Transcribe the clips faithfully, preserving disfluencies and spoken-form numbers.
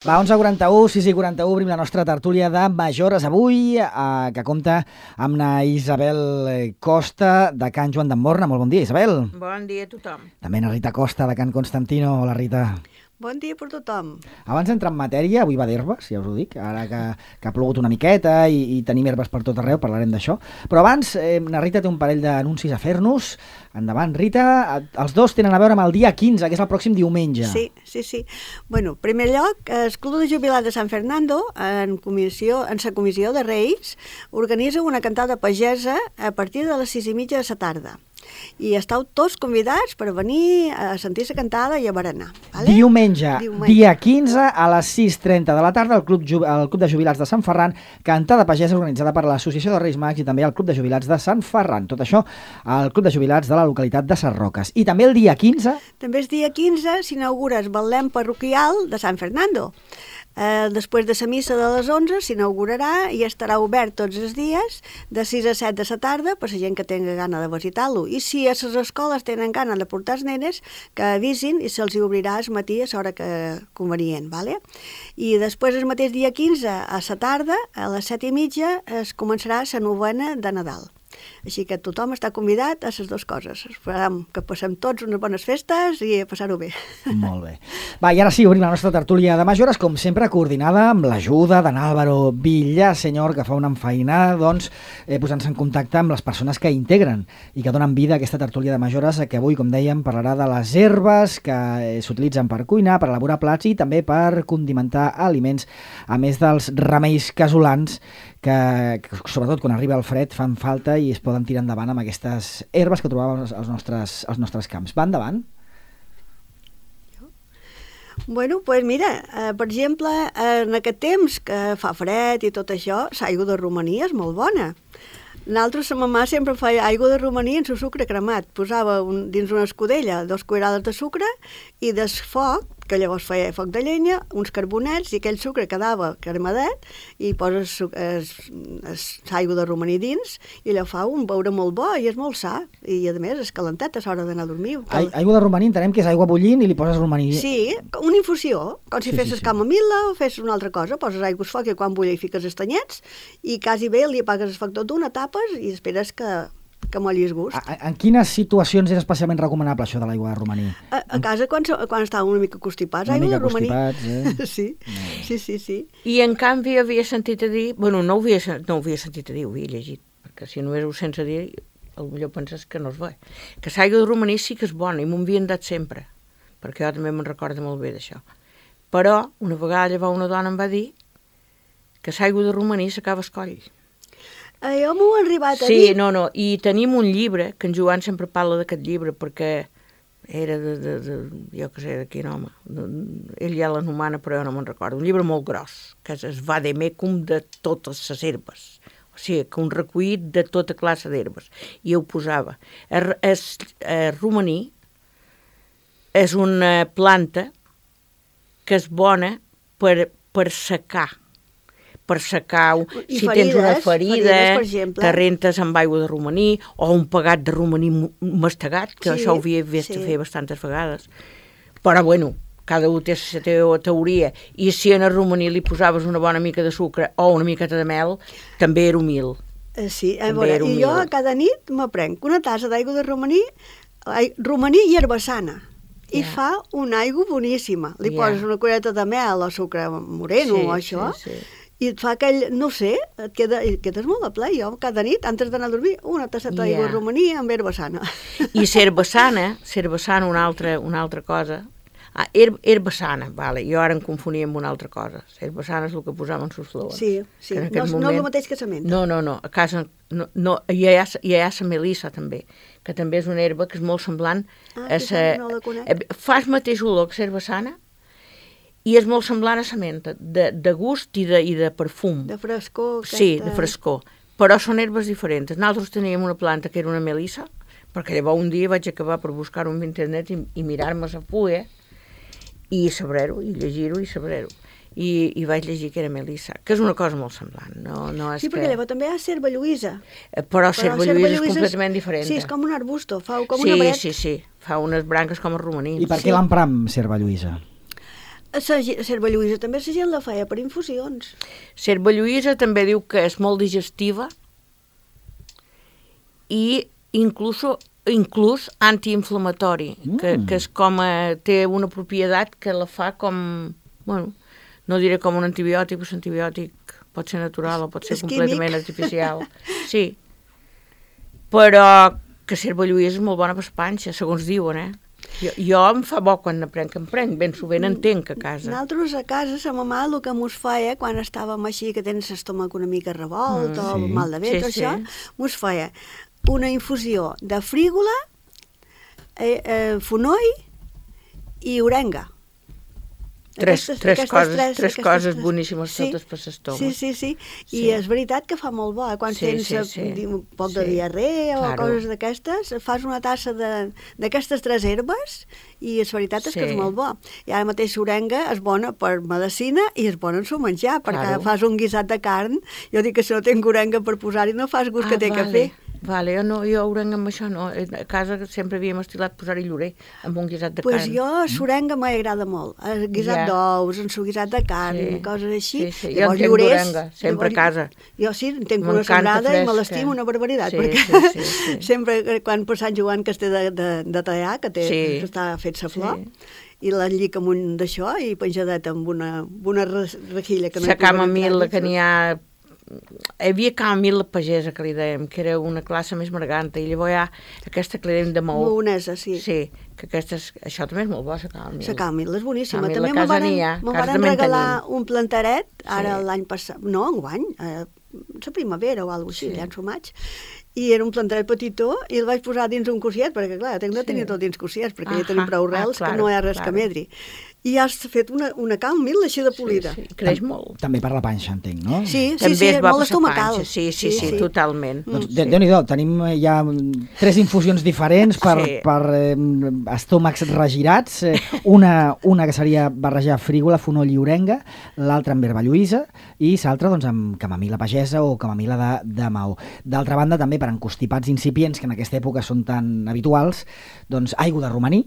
Va, onze i quaranta-u, sis i quaranta-u, obrim la nostra tertúlia de Majores avui, eh, que compta amb la Isabel Costa, de Can Joan d'Emborna. Molt bon dia, Isabel. Bon dia a tothom. També la Rita Costa, de Can Constantino. Hola, Rita. Bon dia per tothom. Abans d'entrar en matèria, avui va d'herbes, ja us ho dic, ara que, que ha plogut una miqueta i, i tenim herbes per tot arreu, parlarem d'això. Però abans, eh, la Rita té un parell d'anuncis a fer-nos. Endavant, Rita. Els dos tenen a veure amb el dia quinze, que és el pròxim diumenge. Sí, sí, sí. Bueno, en primer lloc, el Club de Jubilats de Sant Fernando, en comissió, en sa comissió de Reis, organitza una cantada pagesa a partir de les sis i mitja de la tarda. I estàu tots convidats per venir a sentir la cantada i a berenar. Vale? Diumenge, Diumenge, dia quinze, a les sis i trenta de la tarda, al Club, Ju el Club de Jubilats de Sant Ferran, cantada pagesa organitzada per l'Associació de Reis Mags i també el Club de Jubilats de Sant Ferran. Tot això al Club de Jubilats de la localitat de Ses Roques. I també el dia quinze... També el dia quinze s'inaugura el Betlem parroquial de Sant Fernando. Eh, després de la missa de les onze s'inaugurarà i estarà obert tots els dies de sis a set de la tarda per la gent que tingui gana de visitar-lo. I si a les escoles tenen gana de portar els nenes, que avisin i se'ls obrirà al matí a l'hora que convenient. Vale? I després el mateix dia quinze a la tarda, a les set i mitja, es començarà la novena de Nadal. Així que tothom està convidat a les dues coses. Esperem que passem tots unes bones festes i a passar-ho bé. Molt bé. Va, i ara sí, obrim la nostra tertúlia de Majores, com sempre coordinada amb l'ajuda d'en Álvaro Villasenyor, que fa una enfeinada, doncs, eh, posant-se en contacte amb les persones que integren i que donen vida a aquesta tertúlia de Majores, que avui, com dèiem, parlarà de les herbes que eh, s'utilitzen per cuinar, per elaborar plats i també per condimentar aliments, a més dels remeis casolans que, que sobretot quan arriba el fred fan falta i es poden tirar endavant amb aquestes herbes que trobàvem als nostres, als nostres camps. Va endavant? Bueno, pues mira, eh, per exemple, en aquest temps que fa fred i tot això, l'aigua de romaní és molt bona. Nosaltres, la mamà sempre feia aigua de romaní en su sucre cremat. Posava un, dins una escudella dos cuirades de sucre i del foc, que llavors feia foc de llenya, uns carbonets i aquell sucre quedava cremadet i poses l'aigua de romaní dins i allò fa un beure molt bo i és molt sa. I a més és calentet a l'hora d'anar a dormir. A aigua de romaní entenem que és aigua bullint i li poses romaní. Sí, una infusió, com si sí, fessis sí, sí. camomil·la o fessis una altra cosa. Poses aigua al foc i quan bulla hi fiques els tanyets i quasi bé li apagues el foc tot d'una, tapes i esperes que que mollis gust. A, en quines situacions és especialment recomanable això de l'aigua de romaní? A, a casa, quan, quan estàvem una mica constipats, una aigua mica de romaní. constipats, eh? Sí, sí, sí, sí. I en canvi havia sentit a dir, bueno, no ho havia, no ho havia sentit a dir, ho havia llegit, perquè si només ho sents a dir, potser penses que no és bo. Que l'aigua de romaní sí que és bona i m'ho havien dat sempre, perquè jo també me'n recordo molt bé d'això. Però una vegada llavors una dona em va dir que l'aigua de romaní s'acaba el coll. Eh, jo m'ho he arribat a sí, dir. Sí, no, no, i tenim un llibre, que en Joan sempre parla d'aquest llibre, perquè era de, de, de jo què sé, de quin home, de, ell ja l'anomena, però jo no me'n recordo, un llibre molt gros, que és el vademecum de totes les herbes, o sigui, que un recollit de tota classe d'herbes, i ho posava. El, el, el romaní és una planta que és bona per, per secar, per secar, I si ferides, tens una ferida, ferides, te rentes amb aigua de romaní, o un pegat de romaní mastegat, que sí, això ho havia vist sí. fer bastantes vegades. Però, bueno, cada un té la teva teoria, i si en el romaní li posaves una bona mica de sucre o una miqueta de mel, també era humil. Eh, sí, a També veure, era i jo humil. cada nit m'aprenc una tassa d'aigua de romaní, ai, romaní i herbassana, i Ja. fa una aigua boníssima. Li Ja. poses una cullereta de mel o sucre moreno Sí, o això, sí, sí. i et fa aquell, no sé, et, queda, et quedes molt a ple. Jo cada nit, antes d'anar a dormir, una tasseta Ja. d'aigua de romaní amb herbassana. I cervesana, cervesana una altra, una altra cosa. Ah, her, herbassana, vale, jo ara em confonia amb una altra cosa. Cervesana és el que posàvem en sus flors. Sí, sí, Que en no, aquest és- no és moment- el mateix que la menta. No, no, no, a casa no, no, hi ha, hi ha la melissa també, que també és una herba que és molt semblant Ah, a aquesta sa, no la conec. eh, fa el mateix olor que cervesana i és molt semblant a la menta, de, de gust i de, i de perfum. De frescor. Sí, aquesta... de frescor. Però són herbes diferents. Nosaltres teníem una planta que era una melissa, perquè llavors un dia vaig acabar per buscar-ho en internet i, i mirar-me la fulla i saber-ho, i llegir-ho i saber-ho. I, i vaig llegir que era melissa, que és una cosa molt semblant. No, no és Sí, perquè que... llavors també hi ha serva lluïsa. Eh, Però cerva lluïsa és completament diferent. Sí, és com un arbusto, fa com sí, una bret. Sí, sí, fa unes branques com el romaní. I per Sí. què l'empram, Serva Lluïsa? La Serva Lluïsa també la gent la feia per infusions. Serva Lluïsa també diu que és molt digestiva i inclús, inclús antiinflamatori, mm. que, que és com a, té una propietat que la fa com, bueno, no diré com un antibiòtic, però l'antibiòtic pot ser natural o pot ser és completament químic. artificial. Sí, però que Serva Lluïsa és molt bona per la panxa, segons diuen, eh? Jo, jo em fa bo quan n'aprenc, em prenc, ben sovint entenc a casa. Nosaltres a casa, sa mamà, el que mos feia, quan estàvem així, que tens l'estómac una mica revolt, mm, o sí. mal de Sí, ventre, sí. això, mos feia una infusió de frígola, eh, eh, fonoll i orenga. Tres, Aquestes- tres aquestes coses, tres- tres aquestes coses tres. boníssimes Sí, totes per l'estómac. Sí, sí, sí. I Sí. és veritat que fa molt bo. eh? Quan Sí, tens sí, eh, sí. di- un poc de Sí. diarrea o Claro. coses d'aquestes, fas una tassa de- d'aquestes tres herbes i és veritat és que Sí. és molt bo. I ara mateix l'orenga és bona per medicina i és bona en su menjar, perquè Claro. fas un guisat de carn, jo dic que si no tinc orenga per posar-hi no fas gust que té vale. que fer. Vale, jo, no, jo orenga amb això no. A casa sempre havíem estilat posar-hi llorer amb un guisat de Pues carn. jo, l'orenga m'agrada molt. El guisat Ja. d'ous, en su guisat de carn, Sí. coses així. Sí, sí. Jo en Llavors, tinc llorers, d'orenga, sempre a llavors- casa. Jo sí, en tinc una M'encanta sembrada i me fresca. l'estimo una barbaritat, Sí, perquè sí, sí, sí. sempre que quan per Sant Joan que es té de, de, de tallar, que, té, Sí. que està fet sa flor, Sí. i l'enllic amb un d'això i penjadet amb una, amb una re- rejilla que no hi La posa camamil·la entrar que n'hi ha... Hi havia camamil·la pagesa, que li dèiem, que era una classe més marganta, i llavors hi ha aquesta que li dèiem de maó. Maonesa, sí. Sí, que aquesta és, això també és molt bo, la camamil·la. La camil és boníssima. Camil·la, També a me casa varen, n'hi ha, me a casa varen també en regalar tenim. un plantaret, ara Sí. l'any passat, no, enguany, eh, la primavera o alguna cosa així, Sí. ja en su maig, i era un plantaret petitó i el vaig posar dins un cosiet, perquè clar, tinc de tenir Sí. tot dins cosiets, perquè Ahà, ja tenim prou rels, ah, que no hi ha res claro, que medri. I has fet una, una camil així de polida. Sí, sí, creix molt. També per la panxa, entenc, no? Sí, sí, També sí, és és bo molt per la estomacal. panxa. Sí, sí, sí, totalment. Doncs, Sí. de, Déu-n'hi-do, tenim eh, ja mm, tres infusions diferents per, Sí. per eh, estómacs regirats. Eh, una, una que seria barrejar frígola, fonoll i orenga, l'altra amb herba lluïsa i l'altra doncs, amb camamil·la pagesa o camamil·la de, de maó. D'altra banda, també per encostipats incipients, que en aquesta època són tan habituals, doncs aigua de romaní.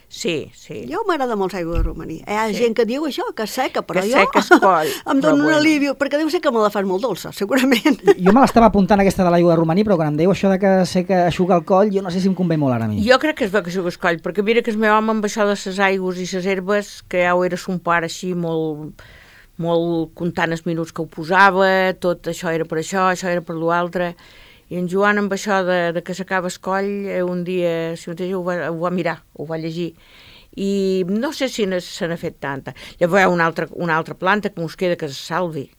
Sí, sí. Jo m'agrada molt l'aigua de romaní. Hi ha Sí. gent que diu això, que és seca, però Que jo seca es coll, em però dono un bueno. alivio, perquè deu ser que me la fas molt dolça, segurament. Jo me l'estava apuntant aquesta de l'aigua de romaní, però quan em dèieu això de que sé que aixuga el coll, jo no sé si em convé molt ara a mi. Jo crec que és bo que jugues coll, perquè mira que el meu home amb això de les aigües i les herbes, que ja ho era son pare així molt, molt comptant els minuts que ho posava, tot això era per això, això era per l'altre, i en Joan amb això de, de que s'acaba el coll, eh, un dia, si mateix ho va, ho va mirar, ho va llegir, i no sé si ne- se n'ha fet tanta. Llavors hi ha una altra, una altra planta que mos queda, que és el salvi.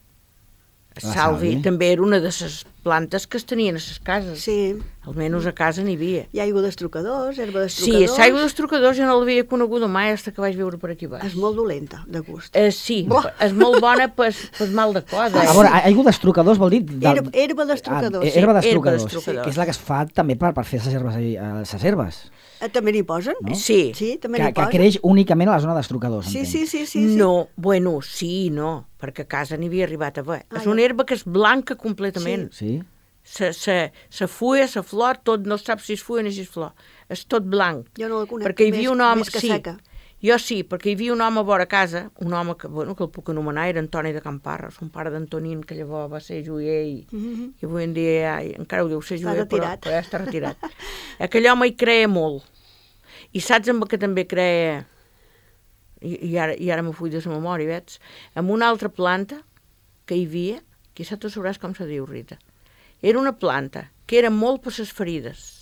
El La salvi salvi. també era una de les plantes que es tenien a les cases. Sí, Almenys a casa n'hi havia. hi ha aigua d'estrucadors, herba Sí, d'estrucadors. l'aigua dels trucadors jo no l'havia coneguda mai fins que vaig viure per aquí baix. És molt dolenta, de gust. Eh, sí, Buah. és molt bona per, per mal de cos. A Eh? veure, aigua d'estrucadors vol dir... Del... Herba, herba d'estrucadors. Ah, sí. herba herba d'estrucadors, d'estrucadors. que és la que es fa també per, per fer les herbes. Eh, les herbes Eh, També n'hi posen? no? Sí. Sí, també que, n'hi que posen. creix únicament a la zona d'estrucadors. Sí, entenc. sí, sí, sí, sí. No, bueno, sí i no, perquè a casa n'hi havia arribat a veure. Ah, és ja. una herba que és blanca completament. Sí? Se, se, se fulla, se flor, tot, no saps si és fulla ni si és flor. És tot blanc. Jo no la conec, Perquè hi més- havia un home... més que sí, seca. jo sí, perquè hi havia un home a vora casa, un home que, bueno, que el puc anomenar, era Antoni de Camparra, son pare d'Antonín, que llavors va ser joier i, Mhm. i avui en dia ja, encara ho diu ser Està joier, però, retirat. però ja està retirat. Aquell home hi creia molt. I saps amb què també creia, i, i ara, i ara m'ho fuig de la memòria, veig, amb una altra planta que hi havia, que ja tu sabràs com se diu, Rita. Era una planta que era molt per les ferides.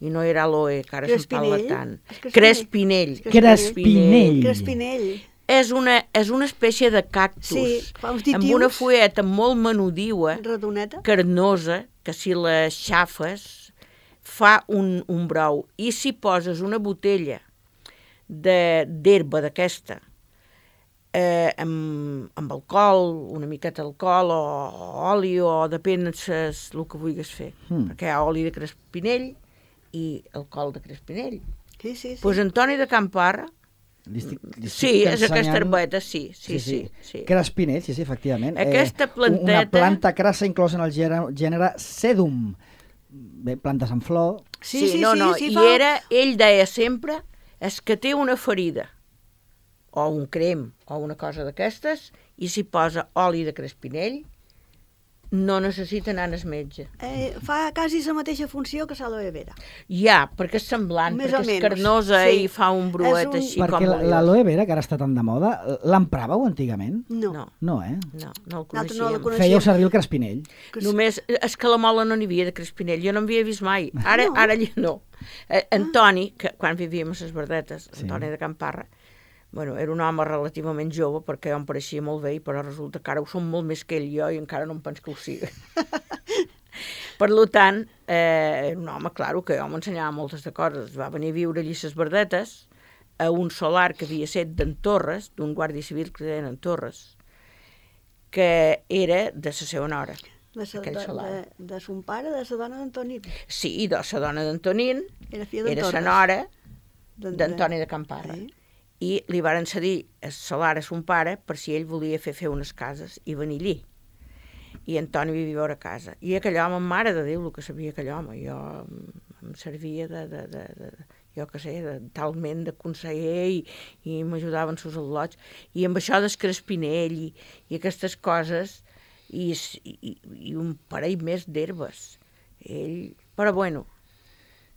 I no era aloe, que ara se'n parla Crespinell? tant. És crespinell. Crespinell. Crespinell. Crespinell. És una, és una espècie de cactus Sí, fa uns amb ditius. una fulleta molt menudiua, Redoneta. carnosa, que si la xafes fa un, un brou. I si poses una botella de- d'herba d'aquesta eh, amb, amb alcohol, una miqueta d'alcohol o, o oli, o depèn ses, el que vulguis fer. Mm. Perquè hi ha oli de crespinell i alcohol de crespinell. Sí, sí, sí. Pues Antoni de Camparra, Li estic, li estic sí, és aquesta ensenyant- herbeta, sí, sí, sí. sí. Crespinell, sí, sí, efectivament. Aquesta Eh, planteta- Una planta crassa inclosa en el gènere, gènere Sedum. Bé, plantes en flor. Sí, sí, no, sí, no, sí, i fa- era, ell deia sempre, és que té una ferida. o un crem o una cosa d'aquestes, i s'hi posa oli de crespinell, no necessita anar al metge. Eh, fa quasi la mateixa funció que l'aloe vera. Ja, perquè és semblant, Més perquè o és menys, carnosa sí. i fa un bruet És un- així Perquè com la- oliós. l'aloe vera, que ara està tan de moda, l'empràveu antigament? No. No, No, eh? no, no el Nosaltres no la coneixíem. coneixíem. Fèieu servir el crespinell. Que sí. Només, és que a la Mola no n'hi havia de crespinell, jo no n'havia vist mai. Ara, No. ara allà no. Eh, Antoni, que quan vivíem a les Verdetes, Sí. Antoni de Camparra, bueno, era un home relativament jove, perquè jo em pareixia molt bé, però resulta que ara ho som molt més que ell i jo, i encara no em penso que ho sigui. Per tant, eh, era un home, claro, que jo m'ensenyava moltes de coses. Va venir a viure allí a les Verdetes, a un solar que havia set d'en Torres, d'un guàrdia civil que deien en Torres, que era de la seva nora. De, sa, aquell de, solar. de, de son pare, de la dona d'Antonín. Sí, de la dona d'Antonín, Era filla d'en era la Torres. nora D'en- d'Antoni de Camparra. Sí. I li varen cedir el solar a son pare per si ell volia fer fer unes cases i venir allí. I Antoni vivia a casa. I aquell home, mare de Déu, el que sabia aquell home, jo em servia de, de, de, de jo què sé, de, talment de conseller i, i m'ajudaven sus al·lots. I amb això del crespinell i, i aquestes coses i, i, i un parell més d'herbes. Ell... Però bueno,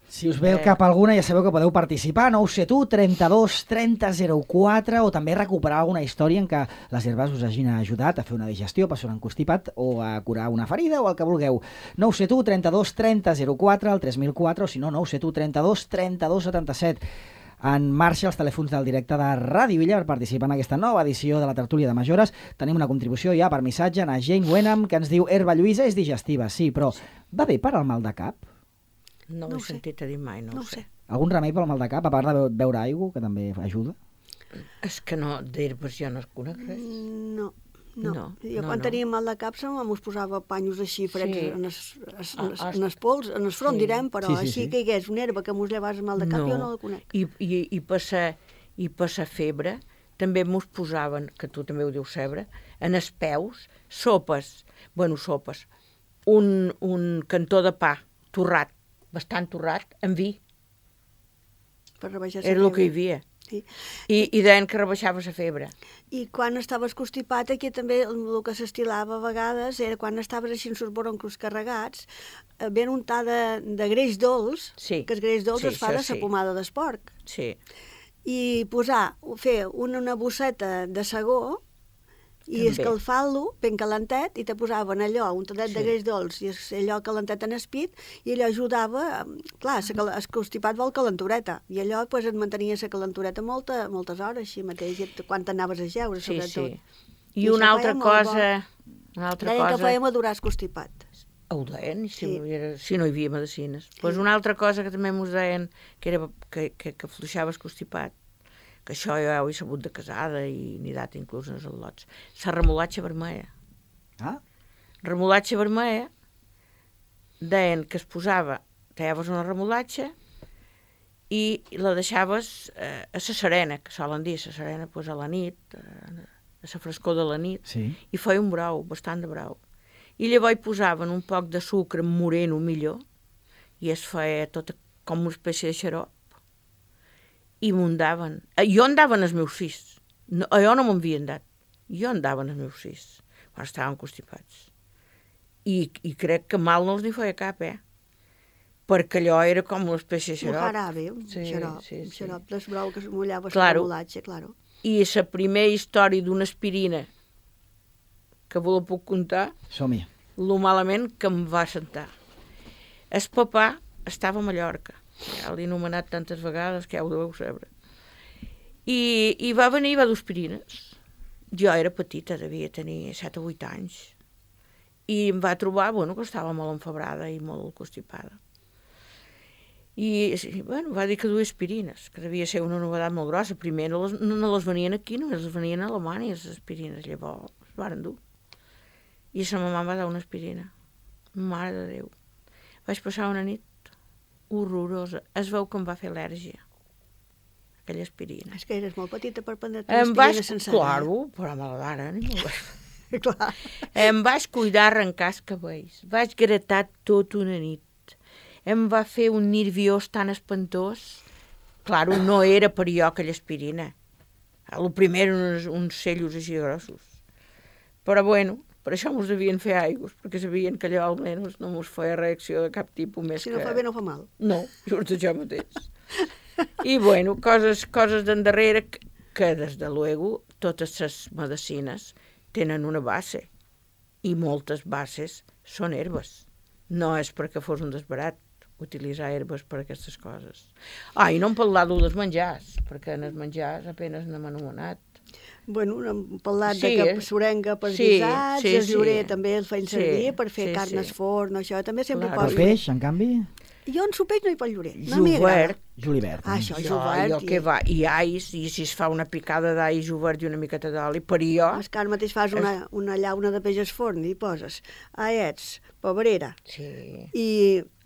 Si us ve al Eh. cap alguna, ja sabeu que podeu participar, nou set u, trenta-dos, trenta, zero quatre, o també recuperar alguna història en què les herbes us hagin ajudat a fer una digestió, passar un constipat, o a curar una ferida, o el que vulgueu. nou set u, trenta-dos, trenta, zero quatre, el tres mil quatre, o si no, nou set u, trenta-dos, trenta-dos, setanta-set. En marxa els telèfons del directe de Ràdio Illa per participar en aquesta nova edició de la tertúlia de Majores. Tenim una contribució ja per missatge a Jane Wenham, que ens diu: herba lluïsa és digestiva, sí, però va bé per al mal de cap? no, No ho ho he sé. sentit a dir mai, no, No ho ho sé. sé. Algun remei pel mal de cap, a part de be- beure aigua, que també ajuda? És que no, d'herbes jo no conec res. Mm, No, no. No, jo no, quan no. tenia mal de cap se mos posava panyos així freds Sí. en, es, es, Ah, es, ah, en els pols, en el front, sí. direm, però Sí, sí, així sí. que hi hagués una herba que mos llevés mal de cap, jo no la conec. I, i, i, passar, i passar febre, també mos posaven, que tu també ho dius cebre, en els peus, sopes, bueno, sopes, un, un cantó de pa torrat, bastant torrat, amb vi, Per rebaixar la era el que hi febre. havia. Sí. I, i deien que rebaixava la febre. I quan estaves constipat, aquí també el el que s'estilava a vegades era quan estaves així amb els bronquis carregats, eh, ben untar de, de greix dolç, Sí. que el greix dolç Sí, es fa això de la sí. pomada d'esporc, Sí, i posar, fer una, una bosseta de segó i També. escalfar-lo ben calentet, i te posaven allò, un tadet Sí. de greix dolç i es- allò calentet en espit, i allò ajudava, eh, clar, sa cal- el constipat vol calentureta, i allò pues, et mantenia la calentureta molta, moltes hores, així mateix, i et- quan t'anaves a jeure, sí, sobretot. sí. I I això una altra feia molt cosa... Una altra Deien que cosa... feia madurar el constipat. Ho deien, i si, Sí. sí. era, si no hi havia medicines. Pues una altra cosa que també mos deien que, era, que, que, que fluixava el constipat, que això jo ho he sabut de casada i n'he dat inclús en els al·lots, la remolatxa vermella. Ah? Remolatxa vermella, deien que es posava, tallaves una remolatxa i la deixaves eh, a la serena, que solen dir la serena pues, a la nit, eh, a la frescor de la nit, Sí. i feia un brou, bastant de brou. I llavors hi posaven un poc de sucre moreno millor, i es feia tot com una espècie de xarop, i m'ho daven. Eh, Jo en daven els meus fills. No, jo no m'havien dat. Jo en daven els meus fills, quan estaven constipats. I, I crec que mal no els n'hi feia cap, eh? Perquè allò era com una espècie de Un xarop. jarabe, un Sí, xarop, sí, un sí. xarop d'esbrou que es mullava Claro. la molatge, claro. I la primera història d'una aspirina que vos la puc contar, Som-hi. lo malament que em va sentar. El papà estava a Mallorca, ja l'he anomenat tantes vegades que ja ho deveu saber. I, i va venir i va d'aspirines. Jo era petita, devia tenir set o vuit anys. I em va trobar, bueno, que estava molt enfebrada i molt constipada. I, sí, bueno, va dir que duia aspirines, que devia ser una novetat molt grossa. Primer no les, no, no les venien aquí, només les venien a Alemanya, les aspirines. Llavors les varen dur. I sa mamà em va dar una aspirina. Mare de Déu. Vaig passar una nit horrorosa. Es veu que em va fer al·lèrgia, aquella aspirina. És que eres molt petita per prendre Em vaig... aspirina sencera. Claro, però me la daren. i me la- Eh? Clar. Em vaig cuidar arrencar els cabells. Vaig gratar tot una nit. Em va fer un nerviós tan espantós. Claro, no era per jo aquella aspirina. El primer eren uns, uns cellos així grossos. Però bueno, per això mos devien fer aigües, perquè sabien que allò almenys no mos feia reacció de cap tipus més Si que... no fa bé no fa mal. No, just això mateix. I bueno, coses, coses d'endarrere que, que des de luego totes les medicines tenen una base i moltes bases són herbes. No és perquè fos un desbarat utilitzar herbes per a aquestes coses. Ah, i no em parlado dels menjars, perquè en els menjars apenas n'hem anomenat. Bueno, hem parlat Sí, de que eh? sorenga per Sí, guisats, sí, el llorer sí. també el feien Sí, servir per fer sí, carnes sí. forn, això també sempre Claro. El poso. peix, en canvi, Jo en sopeix no hi poso llorer, no m'hi agrada. Jovert, julivert. Ah, això, jo, jovert. jo que va, i ais, i si es fa una picada d'all jovert i una miqueta d'oli, per jo... És que ara mateix fas una, una llauna de peix al forn i hi poses aiets, pebrera Sí, i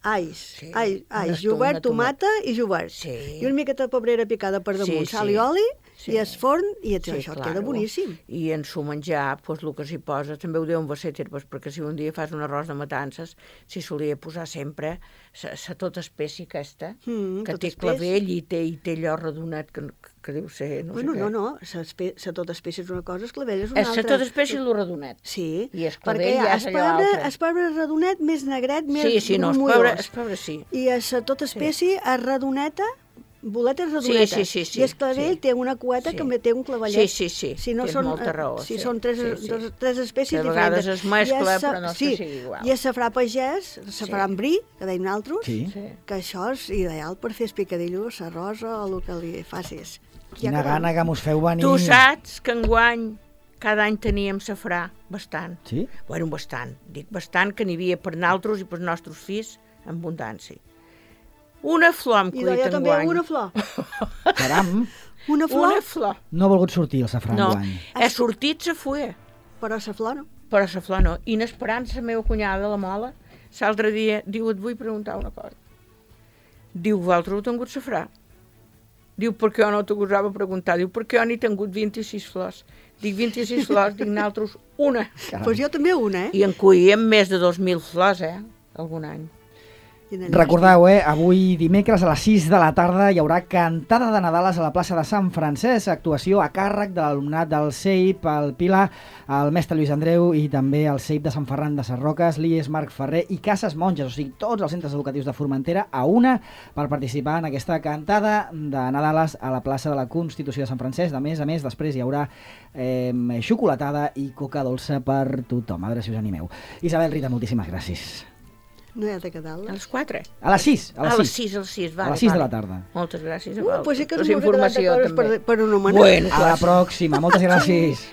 ais, Sí, ai, una ais, esto- jovert, una tomata. tomata i jovert. Sí. I una miqueta de pebrera picada per damunt, Sí, sal sí. i oli, Sí. i es forn, i et, sí, això et claro. queda boníssim. I en su menjar, pues, el que s'hi posa, també ho deuen ser herbes, perquè si un dia fas un arròs de matances, s'hi solia posar sempre la tota espècie aquesta, Mm, que tot té espès. clavell i té, i té allò redonat, que, que deu ser... No Bueno, sé no, què. no, la tota espècie és una cosa, el clavell és una És altra. la tota espècie i el redonat. Sí, I el perquè clavell hi ha ja és allò espebre, altre. espebre redonet, més negret, més Sí, sí, no, es grumolós. pobre, es pobre sí. I a la tota espècie sí. és redoneta, boletes redonetes. Sí, sí, sí, I el clavell sí. té una cueta Sí. que té un clavellet. Sí, sí, sí, Si no tens són, molta eh, raó, Si sí, són tres, sí, sí. dos, tres espècies Que a vegades diferents. es mescla, I el sa- però no és que sí, sigui igual. I el safrà pagès, el safrà en bri, que deien altres, Sí. Sí. que això és ideal per fer espicadillo, l'arròs o el que li facis. Quina gana que mos feu venir. Tu saps que enguany cada any teníem safrà, bastant. Sí? Bueno, bastant. Dic bastant, que n'hi havia per naltros i per nostres fills en abundància. Una flor hem I jo collit també enguany. una flor. Caram, Una flor, Una flor. no ha volgut sortir el safrà No, enguany. he sortit la fulla, però la flor no. però la flor no. I n'esperant la meva cunyada, la Mola, l'altre dia, diu, et vull preguntar una cosa. Diu, vosaltres heu tingut safrà? Diu, per què jo no t'ho gosava preguntar? Diu, perquè jo n'he tingut vint-i-sis flors. Dic, vint-i-sis flors, dic, nosaltres una. Caram. Doncs pues jo també una, eh? I en collíem més de dos mil flors, eh? Algun any. I en Recordeu, eh, avui dimecres a les sis de la tarda hi haurà cantada de Nadales a la plaça de Sant Francesc, actuació a càrrec de l'alumnat del C E I P, el Pilar, el mestre Lluís Andreu i també el C E I P de Sant Ferran de Sarroques, l'I E S Marc Ferrer i Cases Monges, o sigui, tots els centres educatius de Formentera a una per participar en aquesta cantada de Nadales a la plaça de la Constitució de Sant Francesc. A més a més, després hi haurà eh, xocolatada i coca dolça per tothom. A veure si us animeu. Isabel, Rita, moltíssimes gràcies. No hi ha de quedar-la. A les quatre? A les sis, a A les les sis. sis, a les sis, A vale, les sis de vale. la tarda. Moltes gràcies a Uh, vosaltres. pues sí que La ens m'ho he quedat de informació, coses per, també. per anomenar. Bueno, A la pròxima. Moltes gràcies.